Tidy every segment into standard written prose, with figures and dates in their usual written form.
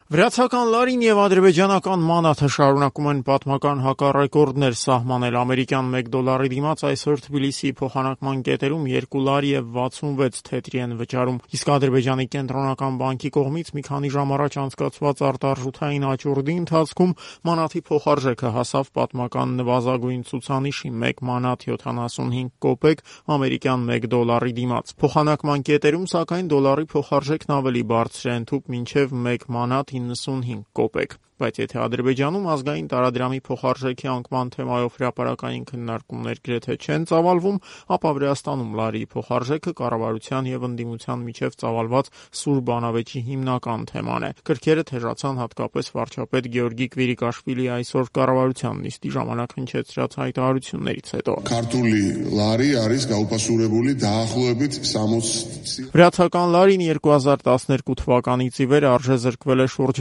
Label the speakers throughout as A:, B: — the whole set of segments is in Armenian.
A: Վրացական լարին եւ ադրբեջանական մանաթը շարունակում են պատմական հակառեկորդներ սահմանել։ Ամերիկյան $1 դիմաց այսօր Թբիլիսիի փոխանակման կետերում 2 լար եւ 66 թեթրի են վճարում։ Իսկ Ադրբեջանի կենտրոնական բանկի կողմից մի քանի ժամ առաջ անցկացված արտարժութային աճուրդի ընթացքում մանաթի փոխարժեքը հասավ պատմական նվազագույն ցուցանիշի՝ 1 մանաթ 75 կոպեկ ամերիկյան $1 դիմաց։ Փոխանակման կետերում, սակայն, դոլարի փոխարժեքն ավելի բարձր է ընդհուպ մինչև 1 մանաթ 95 կոպեկ։ Բայց եթե Ադրբեջանում ազգային տարադրամի փոխարժեքի անկման թեմայով հրապարակային քննարկումներ գրեթե չեն ծավալվում, ապա Վրաստանում լարիի փոխարժեքը կառավարության եւ ընդդիմության միջև ծավալված սուր բանավեճի հիմնական թեման է։ Կրքերը թեժացան հատկապես վարչապետ Գեորգի Կվիրիկաշվիլիի այսօր կառավարության նիստի ժամանակ հնչեցրած հայտարարություններից հետո։
B: Քարտուլի լարի არის გაუპასურებული დაახლოებით 60
A: Վրացական լարին 2012 թվականից ի վեր արժեզրկվել է շուրջ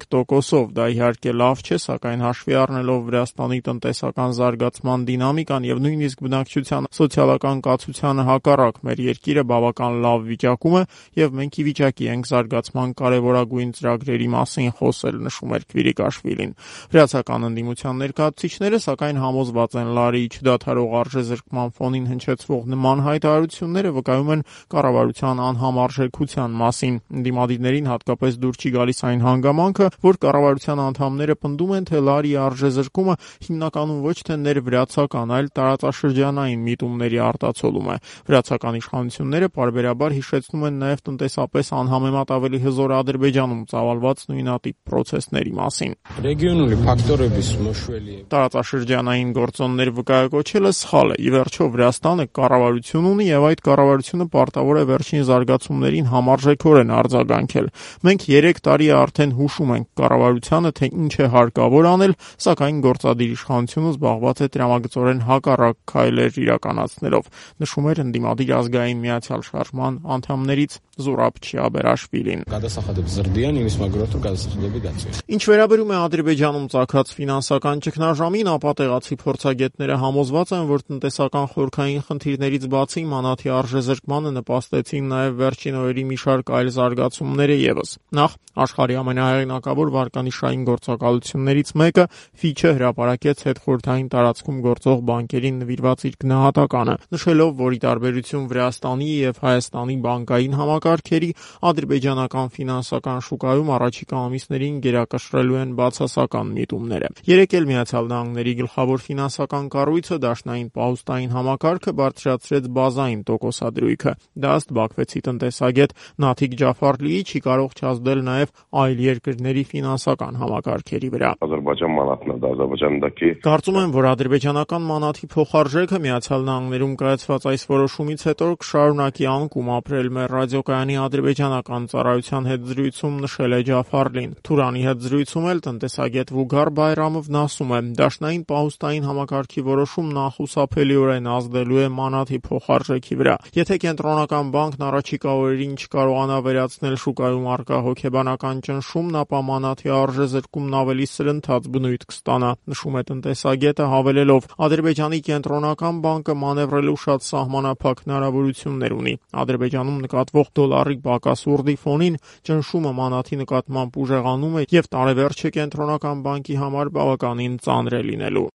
A: 60-65%-ով։ Դա իհարկե լավ չէ, սակայն հաշվի առնելով Վրաստանի տնտեսական զարգացման դինամիկան եւ նույնիսկ բնակչության սոցիալական կացությանը հակառակ մեր երկիրը բավական լավ վիճակում է եւ մենք ի վիճակի ենք զարգացման կարեւորագույն ծրագրերի մասին խոսել, նշում էր Կվիրիկաշվիլին։ Վրացական ընդդիմության ներկայացուցիչները սակայն համոզված են լարիի չդադարող արժեզրկման ֆոնին հնչեցվող նման հայտարարությունները վկայում են կառավարության անհամարժեքության մասին։ Ընդդիմադիրներին հատկապես դուր չի գալիս այն հանգամանքը, որ կառավարության անդամները պնդում են, թե լարիի արժեզրկումը հիմնականում ոչ թե ներվրացական, այլ տարածաշրջանային միտումների արտացոլում է։ Վրացական իշխանությունները պարբերաբար հիշեցնում են նաև տնտեսապես անհամեմատ ավելի հզոր Ադրբեջանում ծավալված նույնատիպ պրոցեսների մասին։
C: Ռեգիոնալի ֆակտորების մշվելի
A: Տարածաշրջանային գործոններ վկայակոչելը սխալ է։ Ի վերջո Վրաստանը կառավարություն ունի եւ այդ կառավարությունը պարտավոր է վերջին զարգացումներին համարժեքորեն արձագանքել։ Մենք 3 տարի է արդեն հուշում ենք կառավարությանը, թե ինչ է հարկավոր անել, սակայն գործադիր իշխանությունը զբաղված է տրամագծորեն հակառակ քայլեր իրականացնելով, նշում էր ընդդիմադիր ազգային միացյալ շարժման անդամներից Զուրաբ Չիաբերաշվիլին։
C: Გადასახადებს ზრდიან იმის მაგრად რომ გადასახადები დაწვეს։
A: Ինչ վերաբերում է Ադրբեջանում ծագած ֆինանսական ճգնաժամին, ապա տեղացի փորձագետները համոզված են, որ տնտեսական խորքային խնդիրներից բացի մանաթի արժեզրկմանը նպաստեցին նաև վերջին օրերի մի շարք այլ զարգացումներ եւս։ Նախ աշխարհի ամենահեղինակավոր վարկանիշային գործակալություններից մեկը Fitch-ը հրապարակեց հետխորհրդային տարածքում գործող բանկերին նվիրված իր գնահատականը, նշելով, որ ի տարբերություն Վրաստանի եւ Հայաստանի բանկային համակարգերի, ադրբեջանական ֆինանսական շուկայում առաջիկա ամիսներին գերակշռելու են բացասական միտումները։ Երեկ էլ Միացյալ Նահանգների գլխավոր ֆինանսական կառույցը դաշնային պահուստային համակարգը բարձրացրեց բազային տոկոսադրույքը։ Դա ըստ Բաքվեցի տնտեսագետ Նաթիկ Ջաֆարլիի չի կարող չազդել նաև այլ երկրների ֆինանսական համակարգերի վրա։
D: Ադրբեջան մանաթն է, Ադրբեջանդակի
A: Կարծում եմ, որ ադրբեջանական մանաթի փոխարժեքը Միացյալ Նահանգներում կայացված այս որոշումից հետո կշարունակի անկում ապրել։ Մեր ռադիոկայանի ադրբեջանական ծառայության հետ զրույցում նշել է Ջաֆարլին։ Թուրանի հետ զրույցում էլ տնտեսագետ Վուգար Բայրամովն ասում է, դաշնային պահուստային համակարգի որոշումն անխուսափելիորեն ազդելու է մանաթի փոխարժեքի վրա։ Եթե կենտրոնական բանկն առաջիկա օրերին չկարողանա վերացնել շուկայում առկա հոգեբանական ճնշումն, ապա մանաթի արժեզրկումն ավելի սրընթաց բնույթ կստանա, նշում է տնտեսագետը, հավելելով. Ադրբեջանի կենտրոնական բանկը մանևրելու շատ սահմանափակ հնարավորություններ ունի։ Ադրբեջանում նկատվող դոլարի բակասուրդի ֆոնին ճնշումը մանաթի նկատմամբ ուժեղանում է եւ տարեվերջը կենտրոնական բանկի համար բավականին ծանր է լինելու։